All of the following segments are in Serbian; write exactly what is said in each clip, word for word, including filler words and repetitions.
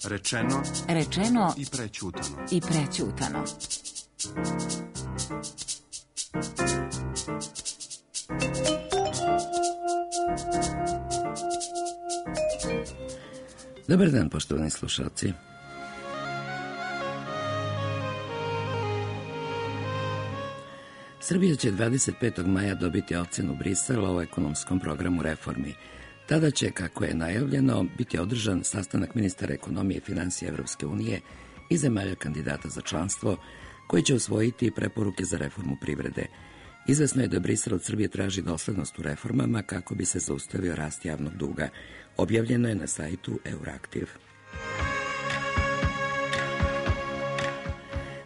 Rečeno, rečeno i prećutano. I prećutano. Dobar dan, poštovani slušalci. Srbija će dvadeset petog maja dobiti ocenu Brisela o ekonomskom programu reformi. Tada će, kako je najavljeno, biti održan sastanak ministara ekonomije i finansija Evropske unije i zemalja kandidata za članstvo, koji će usvojiti preporuke za reformu privrede. Izvesno je da Brisel od Srbije traži doslednost u reformama kako bi se zaustavio rast javnog duga. Objavljeno je na sajtu Euraktiv.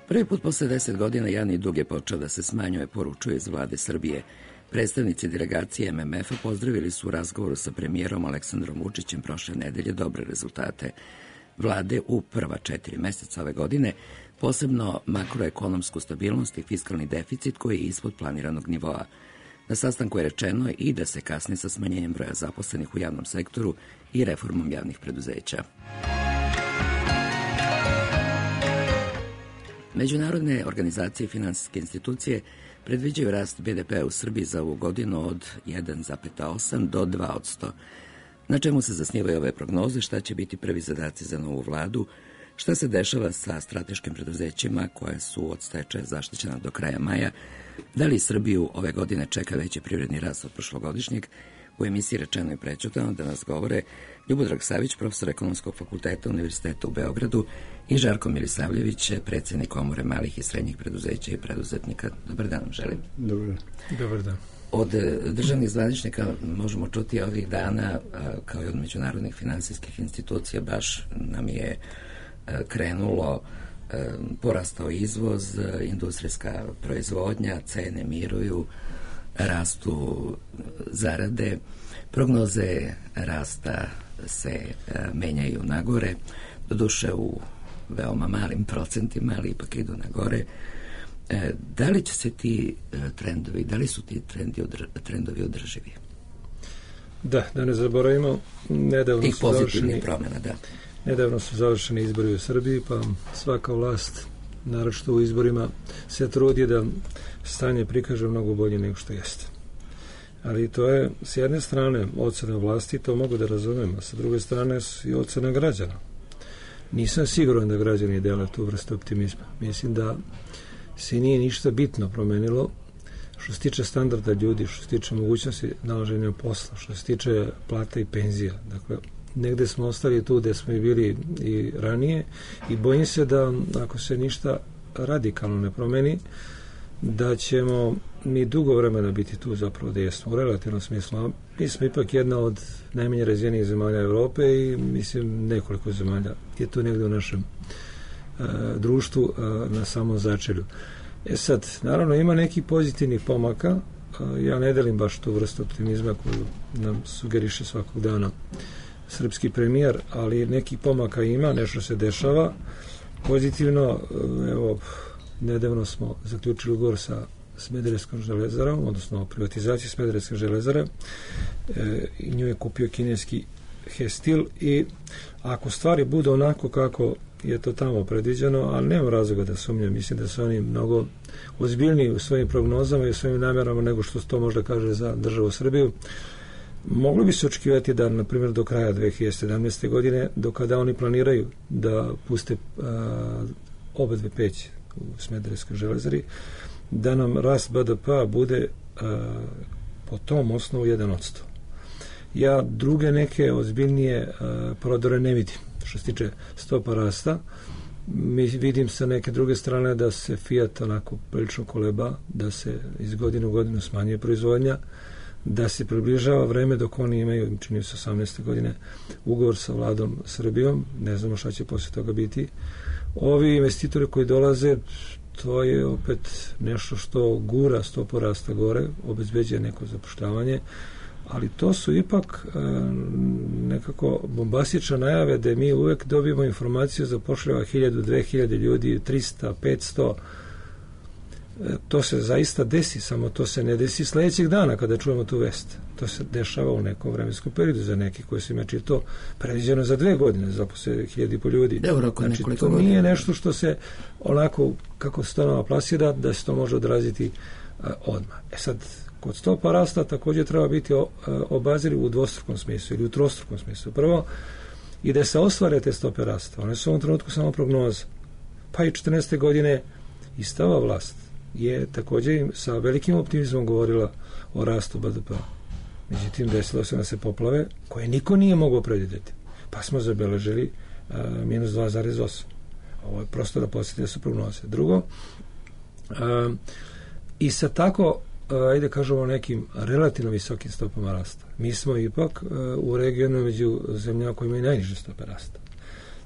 Prvi put posle deset godina javni dug je počeo da se smanjuje, poručuje iz vlade Srbije. Predstavnici delegacije M M F-a pozdravili su u razgovoru sa premijerom Aleksandrom Vučićem prošle nedelje dobre rezultate vlade u prva četiri meseca ove godine, posebno makroekonomsku stabilnost i fiskalni deficit koji je ispod planiranog nivoa. Na sastanku je rečeno i da se kasni sa smanjenjem broja zaposlenih u javnom sektoru i reformom javnih preduzeća. Međunarodne organizacije i finansijske institucije predviđaju rast B D P-a u Srbiji za ovu godinu od jedan zarez osam do dva posto. Na čemu se zasnivaju ove prognoze, šta će biti prvi zadaci za novu vladu, šta se dešava sa strateškim preduzećima koje su od stečaja zaštićena do kraja maja, da li Srbiju ove godine čeka veći privredni rast od prošlogodišnjeg. U emisiji Rečeno i prećutano da nas govore Ljubodrag Savić, profesor Ekonomskog fakulteta Univerziteta u Beogradu, i Žarko Milisavljević, predsjednik Komore malih i srednjih preduzeća i preduzetnika. Dobar dan vam želim. Dobar dan. Dobar dan. Od državnih zvaničnika možemo čuti ovih dana, kao i od međunarodnih finansijskih institucija, baš nam je krenulo, porastao izvoz, industrijska proizvodnja, cene miruju, rastu zarade, prognoze rasta se menjaju nagore, doduše u veoma malim procentima, ali ipak idu nagore. Da li će se ti trendovi, da li su ti trendi, trendovi održivi? Da, da ne zaboravimo, nedavno tih su pozitivnih promjena, da. Nedavno su završeni izbori u Srbiji, pa svaka vlast, naročito u izborima, se trudi da stanje prikaže mnogo bolje nego što jeste. Ali to je, s jedne strane, ocena vlasti, to mogu da razumem, a sa druge strane i ocena građana. Nisam siguran da građani dele tu vrstu optimizma. Mislim da se nije ništa bitno promenilo što se tiče standarda ljudi, što se tiče mogućnosti nalaženja posla, što se tiče plata i penzija. Dakle, negde smo ostali tu gde smo i bili i ranije i bojim se da ako se ništa radikalno ne promeni, da ćemo mi dugo vremena biti tu zapravo gde jesmo u relativnom smislu. Mi smo ipak jedna od najmanje razvijenih zemalja Evrope i mislim nekoliko zemalja je tu negde u našem uh, društvu uh, na samom začelju. E sad, naravno ima nekih pozitivnih pomaka, uh, ja ne delim baš tu vrstu optimizma koju nam sugeriše svakog dana srpski premijer, ali nekih pomaka ima, nešto se dešava pozitivno. Evo, nedavno smo zaključili ugovor sa Smederevskom železarom, odnosno privatizaciji Smederevske železare, e, i nju je kupio kineski Hestil i ako stvari budu onako kako je to tamo predviđeno, ali nema razloga da sumnjam, mislim da su oni mnogo ozbiljniji u svojim prognozama i u svojim namjerama nego što to možda kaže za državu Srbiju. Moglo bi se očekivati da, na primjer, do kraja dve hiljade sedamnaeste. godine, do kada oni planiraju da puste a, oba dve peći u Smederevskoj železari, da nam rast B D P-a bude a, po tom osnovu jedan posto. Ja druge neke ozbiljnije a, prodore ne vidim. Što se tiče stopa rasta, mi vidim sa neke druge strane da se Fiat onako prilično koleba, da se iz godine u godinu smanjuje proizvodnja, da se približava vreme dok oni imaju, čini se osamnaeste. godine, ugovor sa vladom Srbijom, ne znamo šta će posle toga biti. Ovi investitori koji dolaze, to je opet nešto što gura stopu rasta gore, obezbeđuje neko zapošljavanje, ali to su ipak e, nekako bombastične najave da mi uvek dobijemo informaciju zapošljava hiljadu, dve hiljade ljudi, trista, petsto. to se zaista desi, samo to se ne desi sljedećeg dana kada čujemo tu vest. To se dešava u nekom vremenskom periodu za neki koji su imali to predviđeno za dve godine, zaposle hiljadi po ljudi. Da, u roku znači, nekoliko to nije godina. nešto što se onako, kako se to nama plasira, da se to može odraziti uh, odmah. E sad, kod stopa rasta također treba biti o, uh, obaziriv u dvostrukom smislu ili u trostrukom smislu. Prvo, i da se ostvare te stope rasta. One su u ovom trenutku samo prognoza. Pa i četrnaeste godine ista ova vlast je također sa velikim optimizmom govorila o rastu B D P-a. Međutim, desilo se da se poplave koje niko nije mogao predvidjeti. Pa smo zabeležili uh, minus dva zarez osam. Ovo je prosto da podsjetite da su prognoze. Drugo, uh, i sa tako, uh, ajde kažemo, nekim relativno visokim stopama rasta. Mi smo ipak uh, u regionu među zemljama koji imaju najniže stope rasta.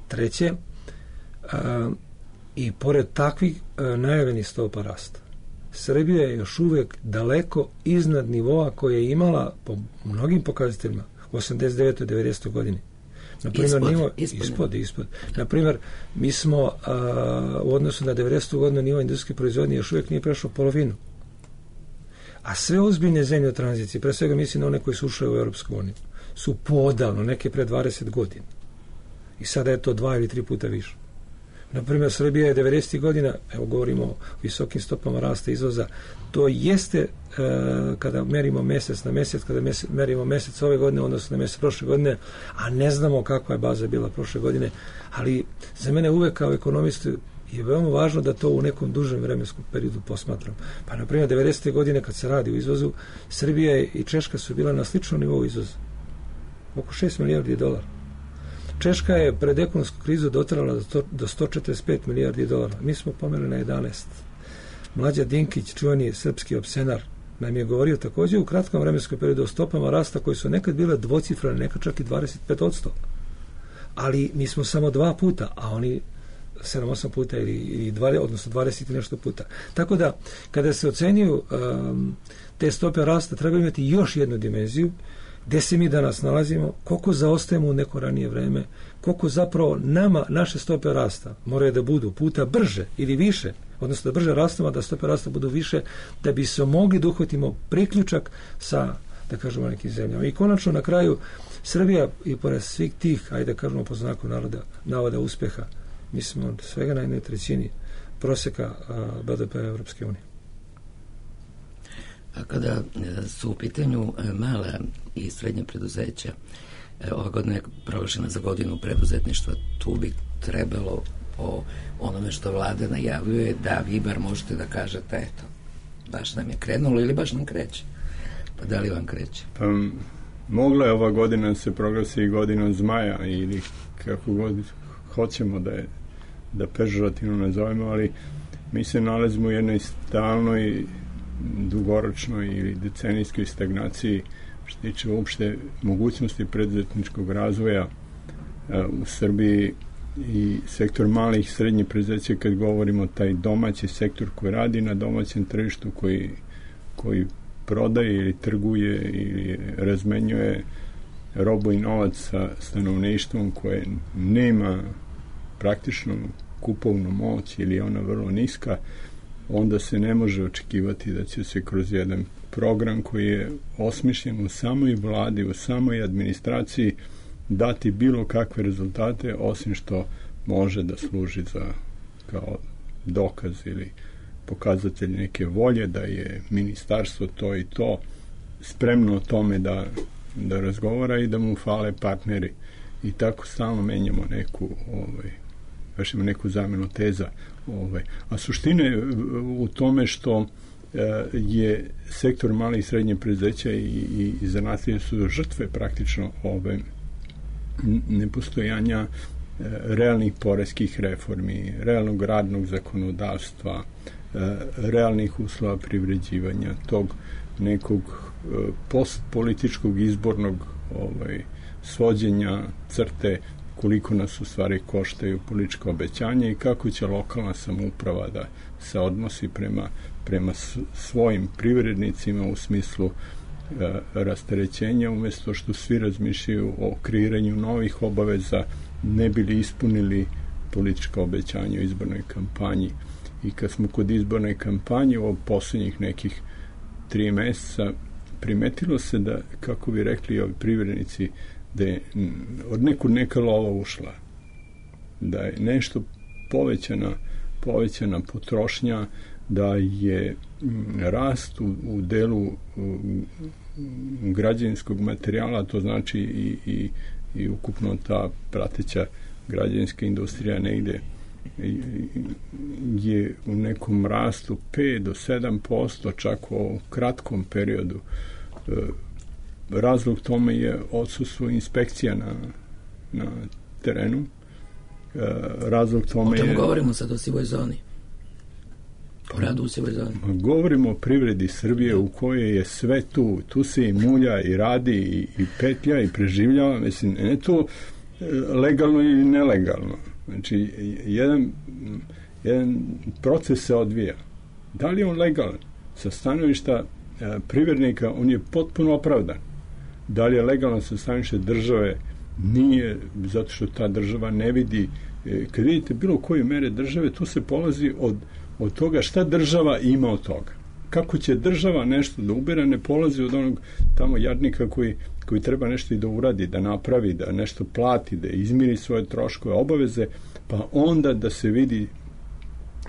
Treće, uh, i pored takvih uh, najavljenih stopa rasta, Srbija je još uvijek daleko iznad nivoa koje je imala po mnogim pokazateljima u osamdeset devetoj devedesetoj godini. Naprimjer, ispod, nivo, ispod, ispod, ispod. Naprimjer, mi smo a, u odnosu na devedesetu godinu nivo industrijske proizvodnje još uvijek nije prešao polovinu. A sve ozbiljne zemlje u tranziciji, pre svega mislim na one koji su ušle u Europsku uniju, su podavno, neke pre dvadeset godina. I sada je to dva ili tri puta više. Naprimjer, Srbija je devedesetih godina, evo govorimo o visokim stopama rasta izvoza, to jeste e, kada merimo mjesec na mjesec, kada mjesec, merimo mjesec ove godine, odnosno na mjesec prošle godine, a ne znamo kakva je baza bila prošle godine, ali za mene uvek kao ekonomistu je veoma važno da to u nekom dužem vremenskom periodu posmatram. Pa, na primjer, devedesete godine kad se radi o izvozu, Srbija i Češka su bila na sličnom nivou izvoza. Oko šest milijardi dolara. Češka je pred ekonomsku krizu dotrala do sto četrdeset pet milijardi dolara. Mi smo pomeli na jedanaest. Mlađa Dinkić, čuveni srpski opsenar, nam je govorio također u kratkom vremenskom periodu o stopama rasta koji su nekad bile dvocifrane, nekad čak i dvadeset pet posto. Ali mi smo samo dva puta, a oni sedam osam puta ili, ili dva, odnosno dvadeset i nešto puta. Tako da, kada se ocenjuju um, te stope rasta, treba imati još jednu dimenziju, gdje se mi danas nalazimo, koliko zaostajemo u neko ranije vreme, koliko zapravo nama, naše stope rasta moraju da budu puta brže ili više, odnosno da brže rastemo, da stope rasta budu više, da bi se mogli da uhvatimo priključak sa, da kažemo, nekim zemljama. I konačno, na kraju, Srbija i pored svih tih, ajde da kažemo po znaku naroda, navoda uspeha, mi smo od svega na jednoj trećini proseka B D P Evropske unije. A kada su u pitanju mala i srednje preduzeća, ova godina je proglašena za godinu preduzetništva, tu bi trebalo po onome što vlada najavljuje da vi bar možete da kažete, eto, baš nam je krenulo ili baš nam kreće. Pa da li vam kreće? Pa mogla je ova godina se proglasi i godinom zmaja ili kako god hoćemo da je da pežorativno nazovemo, ali mi se nalazimo u jednoj stalnoj dugoročnoj ili decenijskoj stagnaciji što tiče uopšte mogućnosti preduzetničkog razvoja uh, u Srbiji i sektor malih i srednjih preduzeća, kad govorimo taj domaći sektor koji radi na domaćem tržištu, koji, koji prodaje ili trguje ili razmenjuje robu i novac sa stanovništvom koje nema praktično kupovnu moć ili je ona vrlo niska, onda se ne može očekivati da će se kroz jedan program koji je osmišljen u samoj vladi, u samoj administraciji dati bilo kakve rezultate, osim što može da služi za kao dokaz ili pokazatelj neke volje da je ministarstvo to i to spremno o tome da, da razgovara i da mu fale partneri. I tako stalno menjamo neku ovaj, vršimo neku zamjenu teza. Ovaj. A suština je u tome što e, je sektor malih i srednje preduzeća i, i, i zanatlije su žrtve praktično ove nepostojanja e, realnih poreskih reformi, realnog radnog zakonodavstva, e, realnih uslova privređivanja, tog nekog e, postpolitičkog izbornog ovaj, svođenja crte koliko nas u stvari koštaju političko obećanje i kako će lokalna samouprava da se odnosi prema, prema svojim privrednicima u smislu e, rasterećenja, umjesto što svi razmišljaju o kreiranju novih obaveza, ne bili ispunili politička obećanja u izbornoj kampanji i kad smo kod izborne kampanje u posljednjih nekih tri mjeseca primetilo se da, kako bi rekli ovi privrednici, da je od nekud neka lova ušla, da je nešto povećana, povećana potrošnja, da je rast u, u delu u, građevinskog materijala, to znači i, i, i ukupno ta prateća građevinska industrija negde je u nekom rastu pet do sedam posto čak u kratkom periodu. Razlog tome je odsustvo inspekcija na, na terenu. Razlog tome o čemu je... govorimo sad o sivoj zoni? O radu u sivoj zoni. Govorimo o privredi Srbije u kojoj je sve tu. Tu se i mulja i radi i, i petlja i preživljava. Mislim, ne to legalno ili nelegalno. Znači, jedan, jedan proces se odvija. Da li je on legalan? Sa stanovišta e, privrednika on je potpuno opravdan. Da li je legalan sa stanovišta države? Nije, zato što ta država ne vidi. E, kad vidite bilo koje mere države, tu se polazi od, od toga šta država ima od toga. Kako će država nešto da ubere, ne polazi od onog tamo jadnika koji, koji treba nešto i da uradi, da napravi, da nešto plati, da izmiri svoje troškove, obaveze, pa onda da se vidi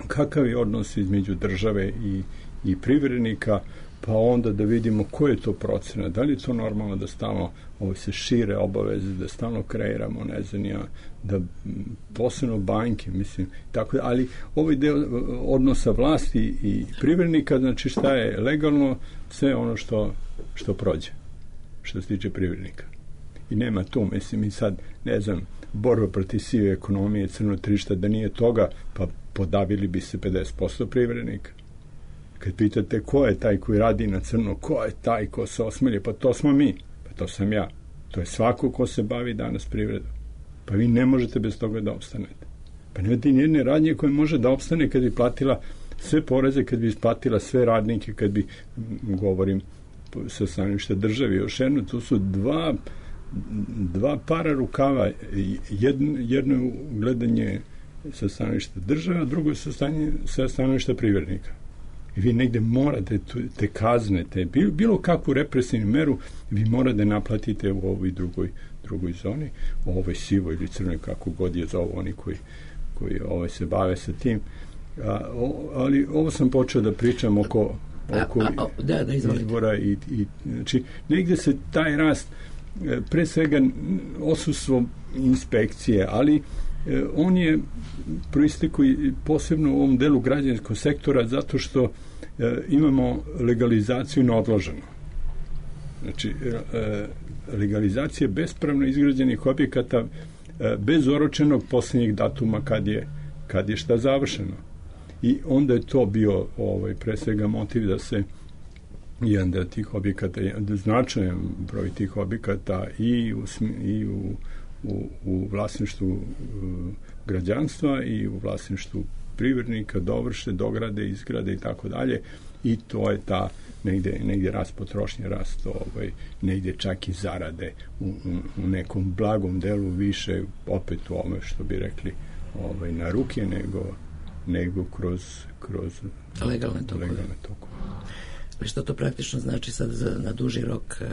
kakav je odnos između države i, i privrednika, pa onda da vidimo koje je to procena, da li je to normalno da stalno ovo se šire obaveze, da stalno kreiramo, ne znam ja, da posebno banke, mislim, tako da, ali ovaj deo odnosa vlasti i privrednika, znači šta je legalno, sve ono što, što prođe, što se tiče privrednika. I nema tu, mislim, i sad, ne znam, borba protiv sive ekonomije, crno tržišta, da nije toga, pa podavili bi se pedeset posto privrednika. Kad pitate ko je taj koji radi na crno, ko je taj ko se osmelje, pa to smo mi, pa to sam ja. To je svako ko se bavi danas privredom. Pa vi ne možete bez toga da opstanete. Pa nemate ni jedne radnje koje može da opstane kad bi platila sve poreze, kad bi isplatila sve radnike, kad bi, govorim sa stanovišta državi, još jedno, tu su dva, dva para rukava. Jedno, jedno je gledanje sa stanovišta države, a drugo je sa, stanje, sa stanovišta privrednika. I vi negde morate te kazne, te, bilo kakvu represivnu meru, vi morate naplatite u ovoj drugoj, drugoj zoni, u ovoj sivoj ili crnoj, kako god je zovu oni koji, koji ovaj, se bave sa tim. A, o, ali ovo sam počeo da pričam oko, oko a, a, a, da, da, izbora i, i znači, negde se taj rast, pre svega odsustvo inspekcije, ali on je proistekao posebno u ovom delu građanskog sektora zato što e, imamo legalizaciju na odloženo. Znači, e, legalizacija bespravno izgrađenih objekata e, bez oročenog posljednjeg datuma kad je, kad je šta završeno. I onda je to bio ovaj, pre svega motiv da se jedan da tih objekata, značajan broj tih objekata i u, i u U, u vlasništvu uh, građanstva i u vlasništvu privrednika dovrše, dograde, izgrade i tako dalje, i to je ta negde, negde rast potrošnje, rast ovaj, negde čak i zarade u, u, u nekom blagom delu više, opet u ome što bi rekli ovaj, na ruke, nego, nego kroz, kroz legalne tokove. Legalne tokove. Što to praktično znači sad za, na duži rok uh,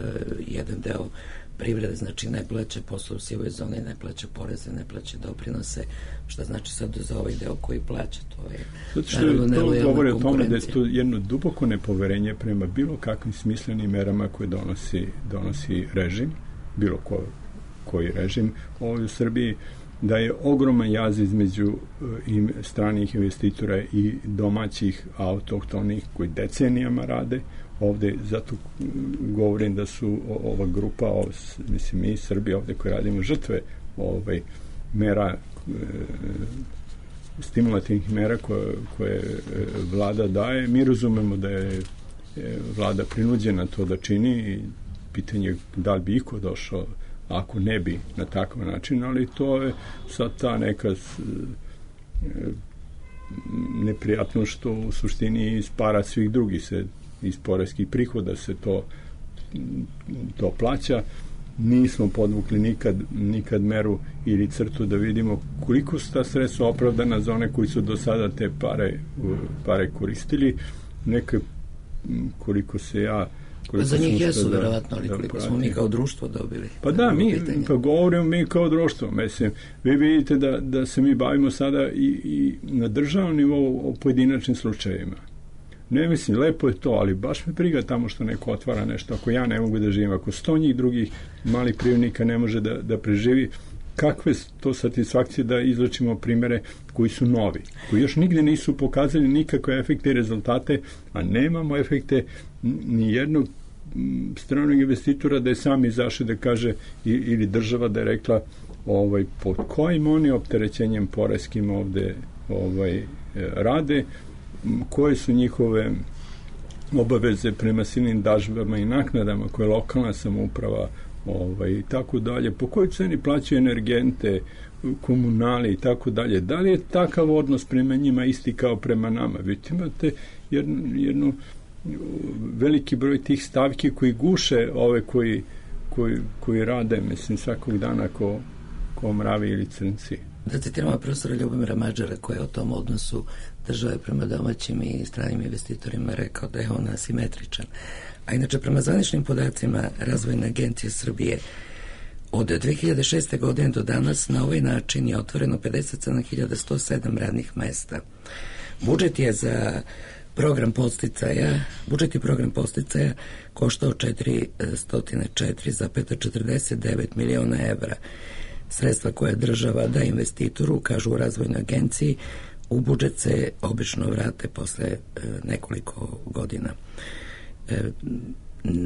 jedan deo privrede, znači ne plaća posao u sivoj zoni, ne plaća poreze, ne plaća doprinose, što znači sad za ovaj deo koji plaća, to je zato što to govori o tome da je to jedno duboko nepoverenje prema bilo kakvim smislenim merama koje donosi, donosi režim, bilo ko, koji režim ovdje u Srbiji, da je ogroman jaz između im, stranih investitora i domaćih autohtonih koji decenijama rade ovde, zato govorim da su ova grupa, ov, mislim mi Srbi ovde koji radimo žrtve ovaj, mera e, stimulativnih mera koje, koje vlada daje. Mi razumemo da je e, vlada prinuđena to da čini i pitanje da li bi iko došao ako ne bi na takav način, ali to je sad ta neka e, neprijatno što u suštini iz para svih drugih se iz poreskih prihoda se to to plaća nismo podvukli nikad, nikad meru ili crtu da vidimo koliko su ta sredstva opravdana za one koji su do sada te pare, pare koristili, neke koliko se ja koliko za njih jesu da, verovatno, ali koliko da smo mi kao društvo dobili. Pa da, mi pa govorimo mi kao društvo. Mislim, vi vidite da, da se mi bavimo sada i, i na državnom nivou o pojedinačnim slučajevima. Ne mislim, lepo je to, ali baš me briga tamo što neko otvara nešto. Ako ja ne mogu da živim, ako sto njih drugih malih privrednika ne može da, da preživi, kakve to satisfakcije da izlačimo primere koji su novi, koji još nigde nisu pokazali nikakve efekte i rezultate, a nemamo efekte ni jednog stranog investitora da je sam izašao da kaže ili država da je rekla ovaj, pod kojim oni opterećenjem poreskim ovde ovaj, rade, koje su njihove obaveze prema silnim dažbama i naknadama koje lokalna samouprava ovaj, i tako dalje, po kojoj ceni plaćaju energente, komunali i tako dalje. Da li je takav odnos prema njima isti kao prema nama? Vidite, imate jednu, jednu veliki broj tih stavki koji guše ove koji, koji, koji rade, mislim, svakog dana ko, ko mravi ili crnci. Da citiramo profesora Ljubomira Mađara koji je o tom odnosu države prema domaćim i stranim investitorima rekao da je on asimetričan. A inače, prema zvaničnim podacima Razvojne agencije Srbije, od dve hiljade šeste. godine do danas na ovaj način je otvoreno pedeset sedam hiljada sto sedam radnih mesta. Budžet je za program podsticaja, budžet i program podsticaja koštao četiristo četiri zarez četrdeset devet miliona evra. Sredstva koje država da investitoru, kažu u Razvojnoj agenciji, u budžet se obično vrate posle e, nekoliko godina. E,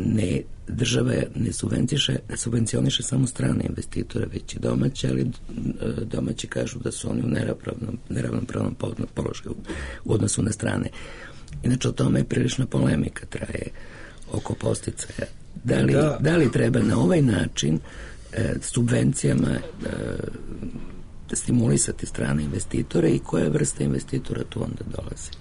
ne, država ne subvencioniše, subvencioniše samo strane investitore, već i domaće, ali e, domaći kažu da su oni u neravnopravnom, neravnopravnom položaju u odnosu na strane. Inače, o tome je prilična polemika traje oko podsticaja. Da li, da. da li treba na ovaj način e, subvencijama e, stimulisati strane investitore i koje vrste investitora tu onda dolazi?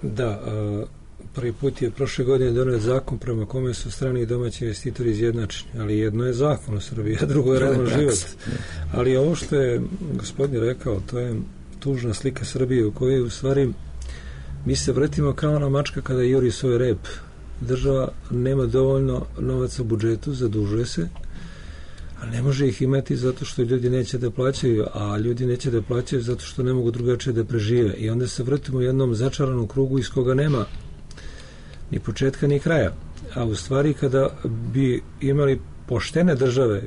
Da, a, prvi put je prošle godine donet zakon prema kome su strani i domaći investitori izjednačeni, ali jedno je zakon u Srbiji, a drugo je realno život. Ali ovo što je gospodin rekao, to je tužna slika Srbije u kojoj u stvari mi se vrtimo kao ona mačka kada juri svoj rep. Država nema dovoljno novaca u budžetu, zadužuje se, a ne može ih imati zato što ljudi neće da plaćaju, a ljudi neće da plaćaju zato što ne mogu drugačije da prežive. I onda se vrtimo u jednom začaranom krugu iz koga nema ni početka ni kraja. A u stvari kada bi imali poštene države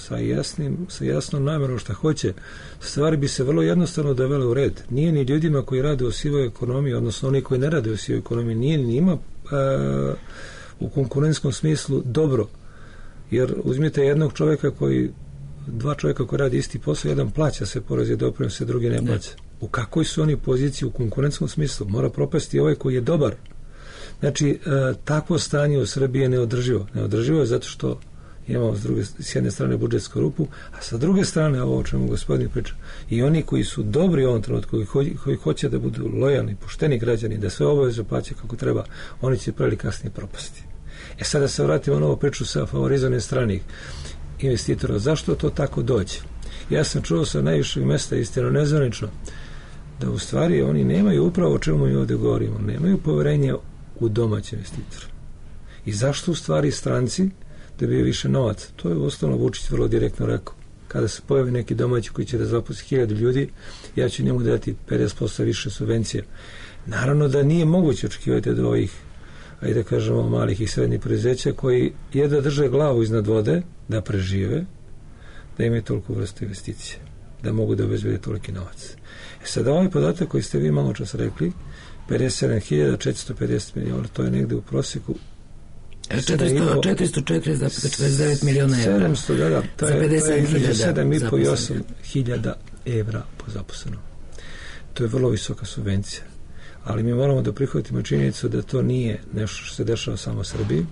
sa jasnim, sa jasnom namerom šta hoće, stvari bi se vrlo jednostavno dovele u red. Nije ni ljudima koji rade u sivoj ekonomiji, odnosno oni koji ne rade u sivoj ekonomiji, nije ni njima a, u konkurentskom smislu dobro. Jer uzmite jednog čovjeka koji, dva čovjeka koji radi isti posao, jedan plaća se porez i doprinose, drugi ne plaća. U kakvoj su oni poziciji u konkurentskom smislu? Mora propasti ovaj koji je dobar. Znači, e, takvo stanje u Srbiji je neodrživo. Neodrživo je zato što imamo s, druge, s jedne strane budžetsku rupu, a sa druge strane, ovo o čemu gospodin priča, i oni koji su dobri u ovom trenutku, koji, koji, koji hoće da budu lojalni, pošteni građani, da sve obaveze plaćaju kako treba, oni će pre ili kasnije propasti. E sad da se vratimo na ovu priču sa favorizovanjem stranih investitora. Zašto to tako dođe? Ja sam čuo sa najvišeg mesta, istino nezvanično, da u stvari oni nemaju upravo o čemu mi ovdje govorimo, nemaju poverenja u domaće investitore. I zašto u stvari stranci dobiju više novaca? To je uostalom Vučić vrlo direktno rekao. Kada se pojavi neki domaći koji će da zaposli hiljadu ljudi, ja ću njemu dati pedeset posto više subvencija. Naravno da nije moguće očekivati od ovih, ajde da kažemo, malih i srednjih preduzeća koji jedva drže glavu iznad vode da prežive, da imaju toliko vrstu investicije, da mogu da obezbede toliki novac. E sad, ovaj podatak koji ste vi malo čas rekli, pedeset sedam hiljada četiristo pedeset miliona, to je negde u prosjeku četiristo četiri zarez četrdeset devet miliona evra. sedamsto, da, da, to je, to je između sedam i po i osam hiljada evra po zaposlenom. To je vrlo visoka subvencija. Ali mi moramo da prihvatimo činjenicu da to nije nešto što se dešava samo u Srbiji.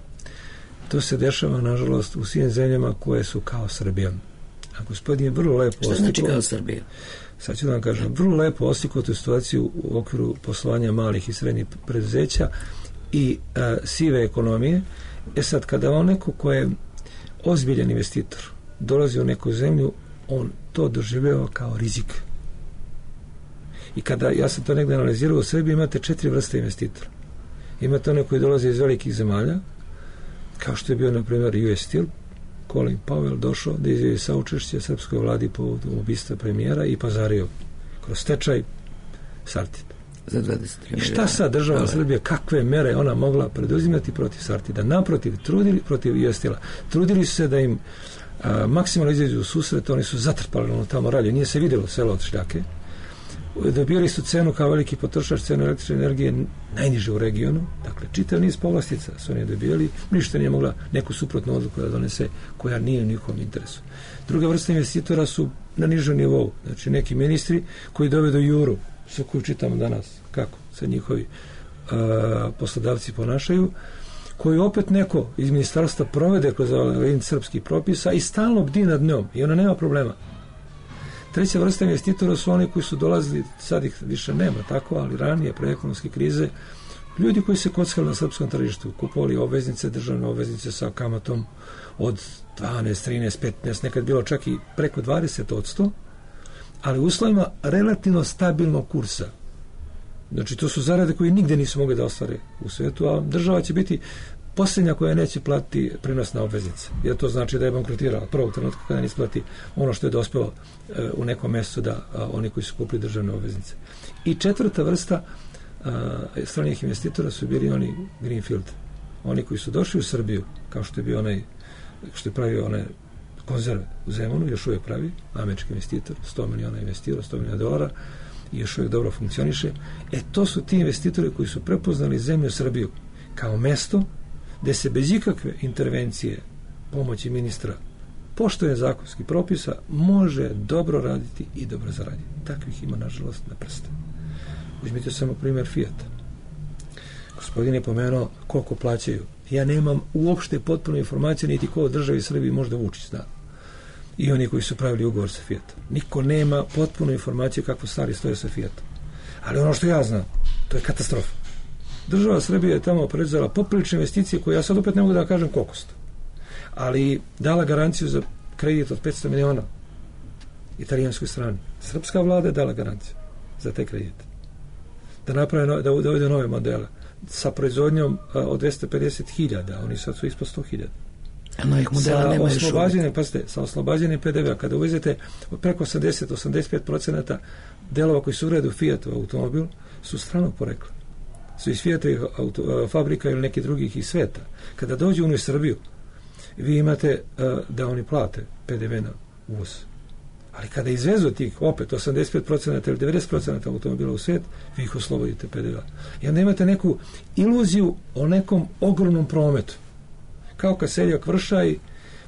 To se dešava, nažalost, u svim zemljama koje su kao Srbija. A gospodin je vrlo lepo oslikao... Što znači kao Srbija? Sad ću da vam kažem, vrlo lepo oslikao tu situaciju u okviru poslovanja malih i srednjih preduzeća i a, sive ekonomije. E sad, kada on neko ko je ozbiljan investitor dolazi u neku zemlju, on to doživljava kao rizik. I kada, ja sam to negdje analizirao, u Srbiji imate četiri vrste investitora. Imate one koji dolaze iz velikih zemalja, kao što je bio, na primjer, U S Steel, Colin Powell došao da izjavi saučešće srpskoj vladi povodom ubistva premijera i pazario kroz stečaj Sartid. Za dvadeset tri I šta sad država ali... Srbije, kakve mere ona mogla preduzimati protiv Sartida? Naprotiv, trudili protiv U S Steel-a. Trudili su se da im a, maksimalno izađu u susret, oni su zatrpali ono tamo ralje, nije se vidjelo selo od šljake. Dobili su cenu kao veliki potrošač, cenu električne energije najniže u regionu, dakle čitav niz povlastica su oni dobijali, ništa nije mogla neku suprotnu odluku da donese koja nije u njihovom interesu. Druga vrsta investitora su na nižem nivou, znači neki ministri koji dovedu juru, sa koju čitamo danas, kako se njihovi a, poslodavci ponašaju, koji opet neko iz ministarstva provede kroz ovaj srpskih propisa i stalno bdi nad njom i ona nema problema. Treća vrsta investitora su oni koji su dolazili, sad ih više nema tako, ali ranije, pre ekonomske krize, ljudi koji se kockali na srpskom tržištu, kupovali obveznice, državne obveznice sa kamatom od dvanaest, trinaest, petnaest, nekad bilo čak i preko dvadeset odsto, ali u uslovima relativno stabilnog kursa. Znači, to su zarade koje nigde nisu mogli da ostvare u svetu, a država će biti posljednja koja neće platiti prinos na obveznice. Jer to znači da je bankrotirala prvog trenutka kada ne isplati ono što je dospelo e, u nekom mjestu da a, oni koji su kupili državne obveznice. I četvrta vrsta a, stranih investitora su bili oni Greenfield. Oni koji su došli u Srbiju, kao što je bio onaj, što je pravio one konzerve u Zemunu, još uvijek pravi, američki investitor, sto miliona investirao, sto miliona dolara, i još uvijek dobro funkcioniše. E, to su ti investitori koji su prepoznali zemlju Srbiju kao mesto gde se bez ikakve intervencije pomoći ministra poštovanja zakonskih propisa može dobro raditi i dobro zaraditi. Takvih ima, nažalost, na prste. Uzmite samo primjer Fijata. Gospodin je pomenuo koliko plaćaju. Ja nemam uopšte potpuno informacije niti ko od državi Srbiji možda Vučić zna. I oni koji su pravili ugovor sa Fijatom. Niko nema potpuno informacije kako stvari stoje sa Fijatom. Ali ono što ja znam, to je katastrofa. Država Srbije je tamo predzala poprilične investicije koje ja sad opet ne mogu da kažem koliko su. Ali dala garanciju za kredit od petsto miliona italijanskoj strani. Srpska vlada je dala garanciju za te kredite. Da naprave, no, da uvede nove modele sa proizvodnjom a, od dvesta pedeset hiljada, oni sad su ispod sto hiljada. Sa oslobađanjem, pazite, sa oslobađanjem P D V-a, kada uvezete preko osamdeset do osamdeset pet procenata delova koji su uredu Fiatov automobil, su stranog porekla. Su iz Fiatovih auto, fabrika ili neki drugih iz sveta. Kada dođu u Srbiju, vi imate uh, da oni plate P D V na uvoz. Ali kada izvezu tih opet osamdeset pet procenata ili devedeset procenata automobila u svet, vi ih oslobodite P D V-a. I onda imate neku iluziju o nekom ogromnom prometu. Kao kad seljak vršaj,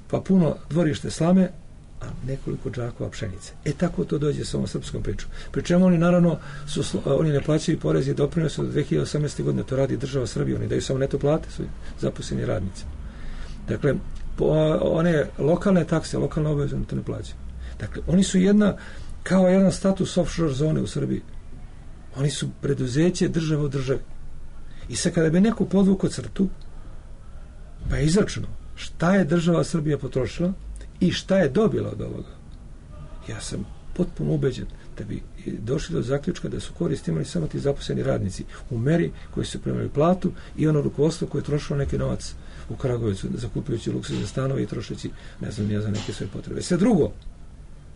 pa puno dvorište slame, a nekoliko džakova pšenice. E tako to dođe sa ovom srpskom pričom. Pri čemu oni naravno su, oni ne plaćaju porez i doprinose od dve hiljade osamnaeste. godine, to radi država Srbije, oni daju samo neto plate svojim zaposleni radnici. Dakle, po, one lokalne takse, lokalne obaveze, to ne plaćaju. Dakle, oni su jedna, kao jedan status offshore zone u Srbiji. Oni su preduzeće države u državi. I sad kada bi neko podvukao crtu, pa je izračunao šta je država Srbija potrošila i šta je dobila od ovoga. Ja sam potpuno ubeđen da bi došli do zaključka da su koristi imali samo ti zaposleni radnici u meri koji su primali platu i ono rukovodstvo koje je trošilo neki novac u Kragujevcu zakupljujući luksuzne stanove i trošeći, ne znam, ja za neke svoje potrebe. Sve drugo,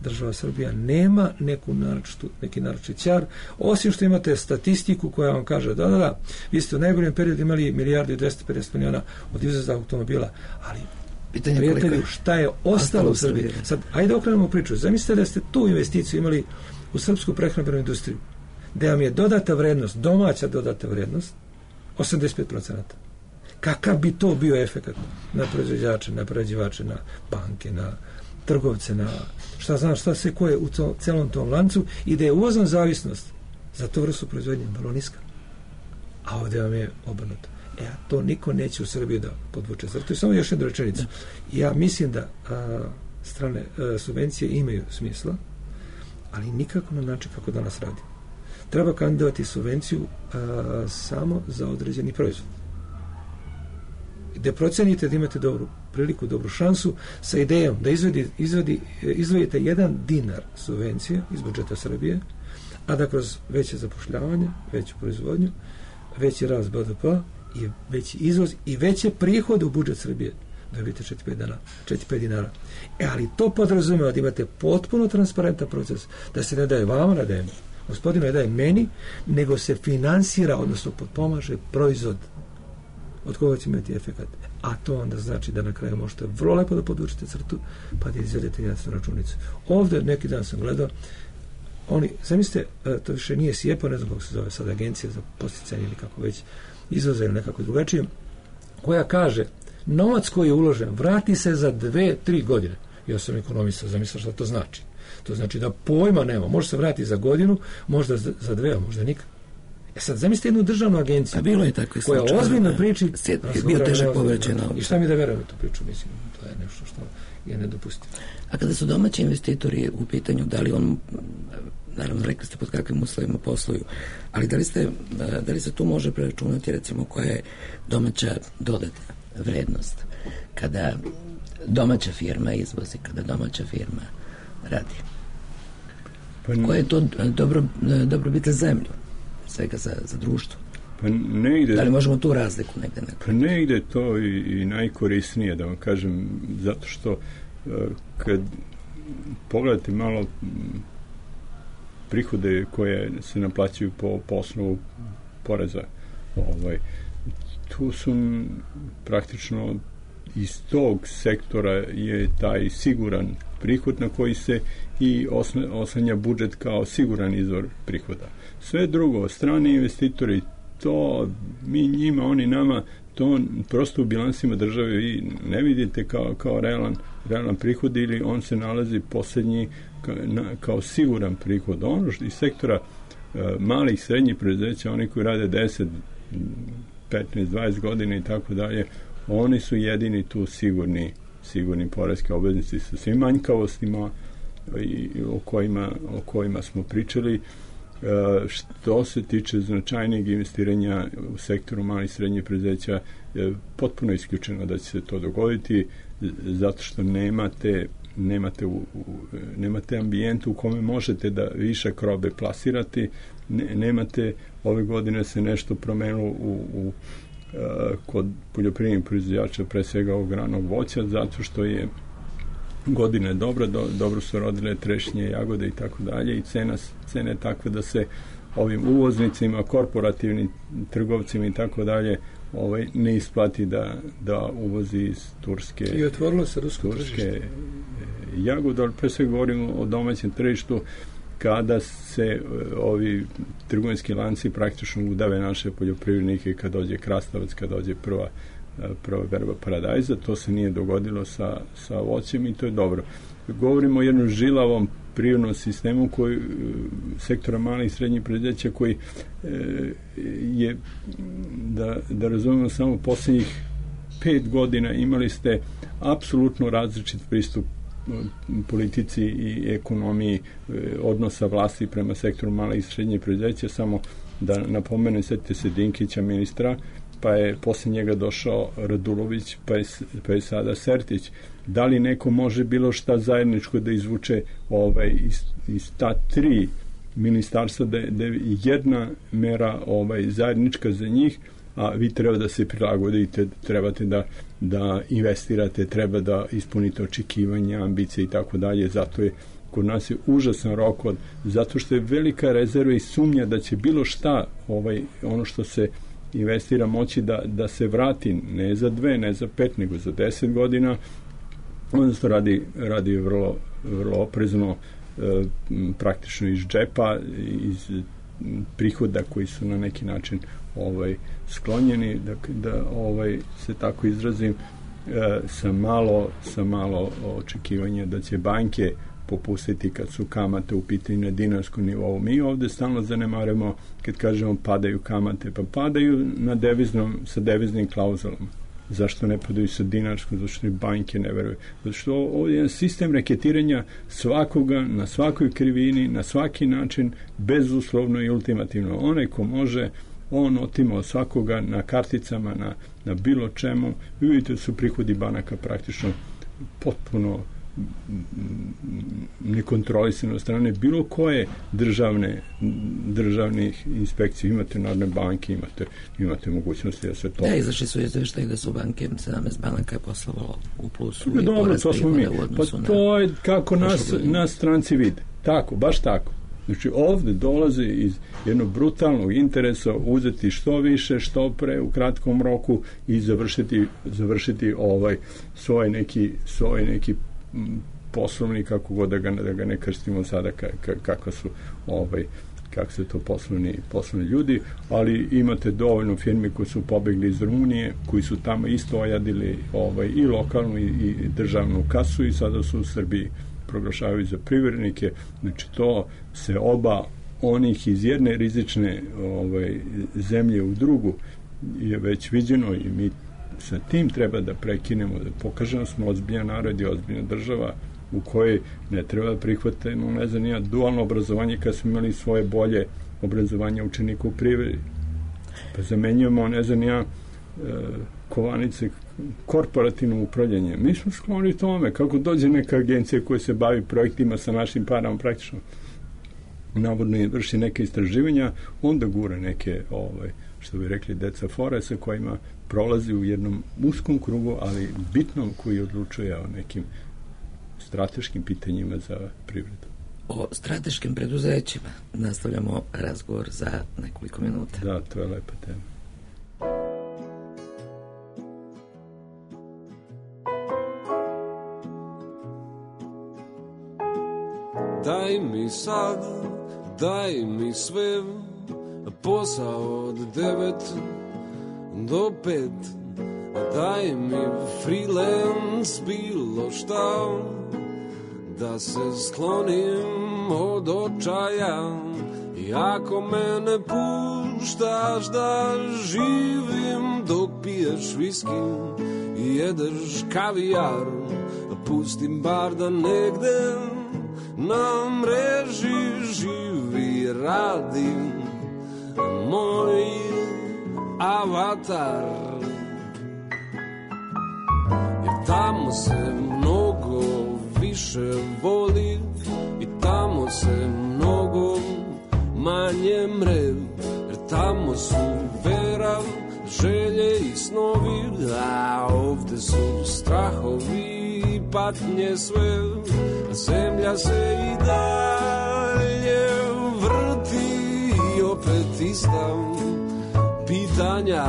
država Srbija nema neku naročitu, neki naročit ćar, osim što imate statistiku koja vam kaže da, da, da, vi ste u najboljem periodu imali milijardu i dvesta pedeset miliona od izvoza automobila, ali pitanje prijatelju, šta je ostalo u Srbiji? Sad, ajde okrenemo priču. Zamislite da ste tu investiciju imali u srpsku prehrambenu industriju, da vam je dodata vrednost, domaća dodata vrednost, osamdeset pet procenata. Kakav bi to bio efekat na proizvođače, na prerađivače, na banke, na trgovce, na šta znam, šta se koje u to, celom tom lancu i da je uvozna zavisnost za to vrstu proizvodnje vrlo niska. A ovdje vam je obrnuto. E, a to niko neće u Srbiji da podvuče. Zato je samo još jedna rečenica. Ja mislim da a, strane a, subvencije imaju smisla, ali nikako na način kako danas radi. Treba kandidovati subvenciju a, samo za određeni proizvod. gde procenite da imate dobru priliku, dobru šansu sa idejom da izvedi, izvedi, izvodite jedan dinar subvencije iz budžeta Srbije, a da kroz veće zapošljavanje, veću proizvodnju, veći rast B D P i veći izvoz i veće prihode u budžet Srbije dobijete četiri do pet dinara. E, ali to podrazumeva da imate potpuno transparentan proces, da se ne daje vama, ne daje gospodinu, ne daje meni, nego se finansira, odnosno potpomaže proizvod od koga će imati efekat. A to onda znači da na kraju možete vrlo lepo da podvučete crtu, pa da izvedete jasnu računicu. Ovde neki dan sam gledao, oni, zamislite, to više nije SIEPA, ne znam kako se zove sad, agencija za podsticanje ili kako već izvoza ili nekako drugačije, koja kaže, novac koji je uložen vrati se za dve, tri godine. Ja sam ekonomista, zamislio šta to znači. To znači da pojma nema, može se vratiti za godinu, možda za dve, a možda nikad. E sad, zamislite jednu državnu agenciju, a bilo je tako koja ozbiljno priči, je bio težak povrećen. I šta mi da verujemo tu priču, mislim, to je nešto što je nedopustivo. A kada su domaći investitori u pitanju, da li on, naravno rekli ste pod kakvim uslovima posluju, ali da li, ste, da li se tu može preračunati recimo koja je domaća dodatna vrednost kada domaća firma izvozi, kada domaća firma radi? Pa koja je to dobro, dobrobit za zemlju, svega za, za društvo? Pa ne ide, da li možemo tu razliku negde nekako? Pa ne ide to i, i najkorisnije, da vam kažem, zato što kad pogledate malo prihode koje se naplaćuju po, po osnovu poreza, ovaj, tu su praktično iz tog sektora je taj siguran prihod na koji se i oslanja budžet kao siguran izvor prihoda. Sve drugo, strani investitori, to mi njima, oni nama, to prosto u bilansima države vi ne vidite kao, kao realan, realan prihod ili on se nalazi posljednji kao, na, kao siguran prihod. Ono što iz sektora uh, malih, srednjih preduzeća, oni koji rade deset, petnaest, dvadeset godina i tako dalje, oni su jedini tu sigurni, sigurni poreski obveznici sa svim manjkavostima i, o, kojima, o kojima smo pričali. Uh, što se tiče značajnijeg investiranja u sektoru malih i srednjih preduzeća, je potpuno isključeno da će se to dogoditi, zato što nemate nemate, u, u, nemate ambijent u kome možete da višak robe plasirati, ne, nemate, ove godine se nešto promenilo u, u uh, kod poljoprivrednih proizvođača, pre svega ovog ranog voća, zato što je godina je dobra, do, dobro su rodile trešnje, jagode i tako dalje i cena, cena je takva da se ovim uvoznicima, korporativnim trgovcima i tako dalje ovaj, ne isplati da, da uvozi iz Turske i otvorilo se rusko Turske jagode, ali pre sve govorimo o domaćem tržištu kada se ovi trgovinski lanci praktično udave naše poljoprivrednike, kad dođe krastavac, kad dođe prva prva berba paradajza, to se nije dogodilo sa, sa voćem i to je dobro. Govorimo o jednom žilavom prirodnom sistemu koji, sektora malih i srednjih preduzeća koji e, je, da, da razumemo, samo posljednjih pet godina imali ste apsolutno različit pristup politici i ekonomiji e, odnosa vlasti prema sektoru malih i srednjih preduzeća. Samo da napomenem, setite se Dinkića, ministra, pa je posle njega došao Radulović, pa je, pa je sada Sertić. Da li neko može bilo šta zajedničko da izvuče ovaj, iz, iz ta tri ministarstva, da, da je jedna mera ovaj, zajednička za njih, a vi treba da se prilagodite, trebate da, da investirate, treba da ispunite očekivanja, ambicije i tako dalje. Zato je kod nas je užasan rok, od, zato što je velika rezerva i sumnja da će bilo šta, ovaj, ono što se investira, moći da, da se vrati ne za dve, ne za pet, nego za deset godina. Onda se radi, radi vrlo, vrlo oprezno, e, praktično iz džepa, iz prihoda koji su na neki način ovaj, sklonjeni, da, da ovaj, se tako izrazim, e, sa malo, sa malo očekivanja da će banke popustiti kad su kamate u pitanju na dinarskom nivou. Mi ovde stalno zanemarujemo kad kažemo padaju kamate, pa padaju na deviznom, sa deviznim klauzulama. Zašto ne padaju sa dinarskom? Zašto i banke ne veruju? Zato što ovdje je sistem reketiranja svakoga, na svakoj krivini, na svaki način, bezuslovno i ultimativno. Onaj ko može on otimao svakoga na karticama, na, na bilo čemu. Vi vidite da su prihodi banaka praktično potpuno nekontrolisane od strane bilo koje državne državnih inspekcije. Imate narodne banke, imate, imate mogućnosti da se to... Da, izašli su izveštaji da su banke, sedamnaest banaka je poslovalo u plusu i dobro, to smo mi. Pa to je kako nas, nas stranci vide. Tako, baš tako. Znači ovde dolaze iz jednog brutalnog interesa uzeti što više, što pre u kratkom roku i završiti, završiti ovaj svoj neki, svoj neki poslovni, kako god da ga, da ga ne krstimo sada ka, ka, kako su ovaj, kako su to poslovni, poslovni ljudi, ali imate dovoljno firmi koji su pobegli iz Rumunije, koji su tamo isto ojadili ovaj, i lokalnu i, i državnu kasu i sada su u Srbiji proglašavaju za privrednike. Znači to se oba onih iz jedne rizične ovaj, zemlje u drugu je već viđeno i mi sa tim treba da prekinemo, da pokažemo smo ozbiljan narod i ozbiljna država u kojoj ne treba prihvatiti, no ne znam nija, dualno obrazovanje kad smo imali svoje bolje obrazovanje učenika u privredi. Pa zamenjujemo, ne znam nija, kovanice korporativno upravljanje. Mi smo skloni tome, kako dođe neka agencija koja se bavi projektima sa našim parama praktično navodno vrši neke istraživanja, onda gura neke, ovaj, što bi rekli, deca fore sa kojima prolazi u jednom uskom krugu, ali bitnom koji odlučuje o nekim strateškim pitanjima za privredu. O strateškim preduzećima nastavljamo razgovor za nekoliko minuta. Da, to je lepa tema. Daj mi sad, daj mi sve, posao od devet do pet. Daj mi freelance, bilo šta, da se sklonim od očaja. I ako me ne puštaš da živim dok piješ viski i jedeš kavijar, pustim bar da negde na mreži živi, radi moj avatar. Jer tamo se mnogo više voli i tamo se mnogo manje mre. Jer tamo su vera, želje i snovi, a ovde su strahovi i patnje sve. Zemlja se i dalje vrti i opet ista pitanja.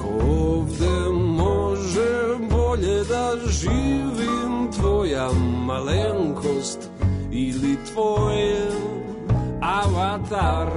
Ko ovde može bolje da živim, tvoja malenkost ili tvoj avatar?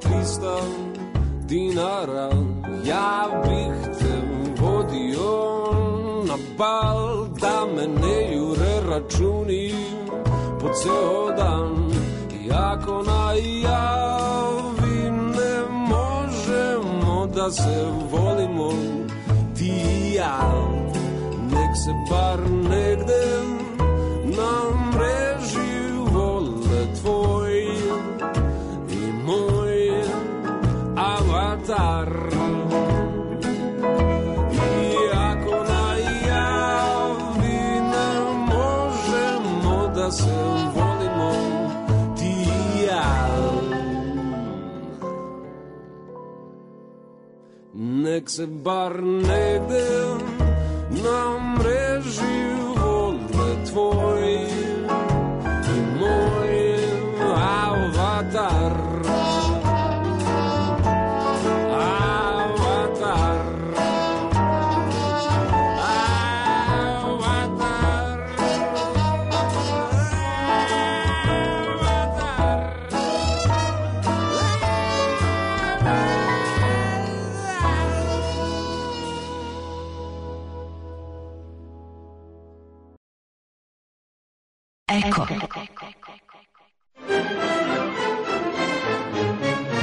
trista dinara, ja bih te vodio na bal, da me ne jure računi po ceo dan. I ako najavi ne možemo da se volimo ti i ja, nek se bar negde na mreži vole tvoj i moj avatar. I ako najavi ne možemo da se volimo ti i ja, nek se bar negde na mreži vole tvoj i moj avatar. Eko.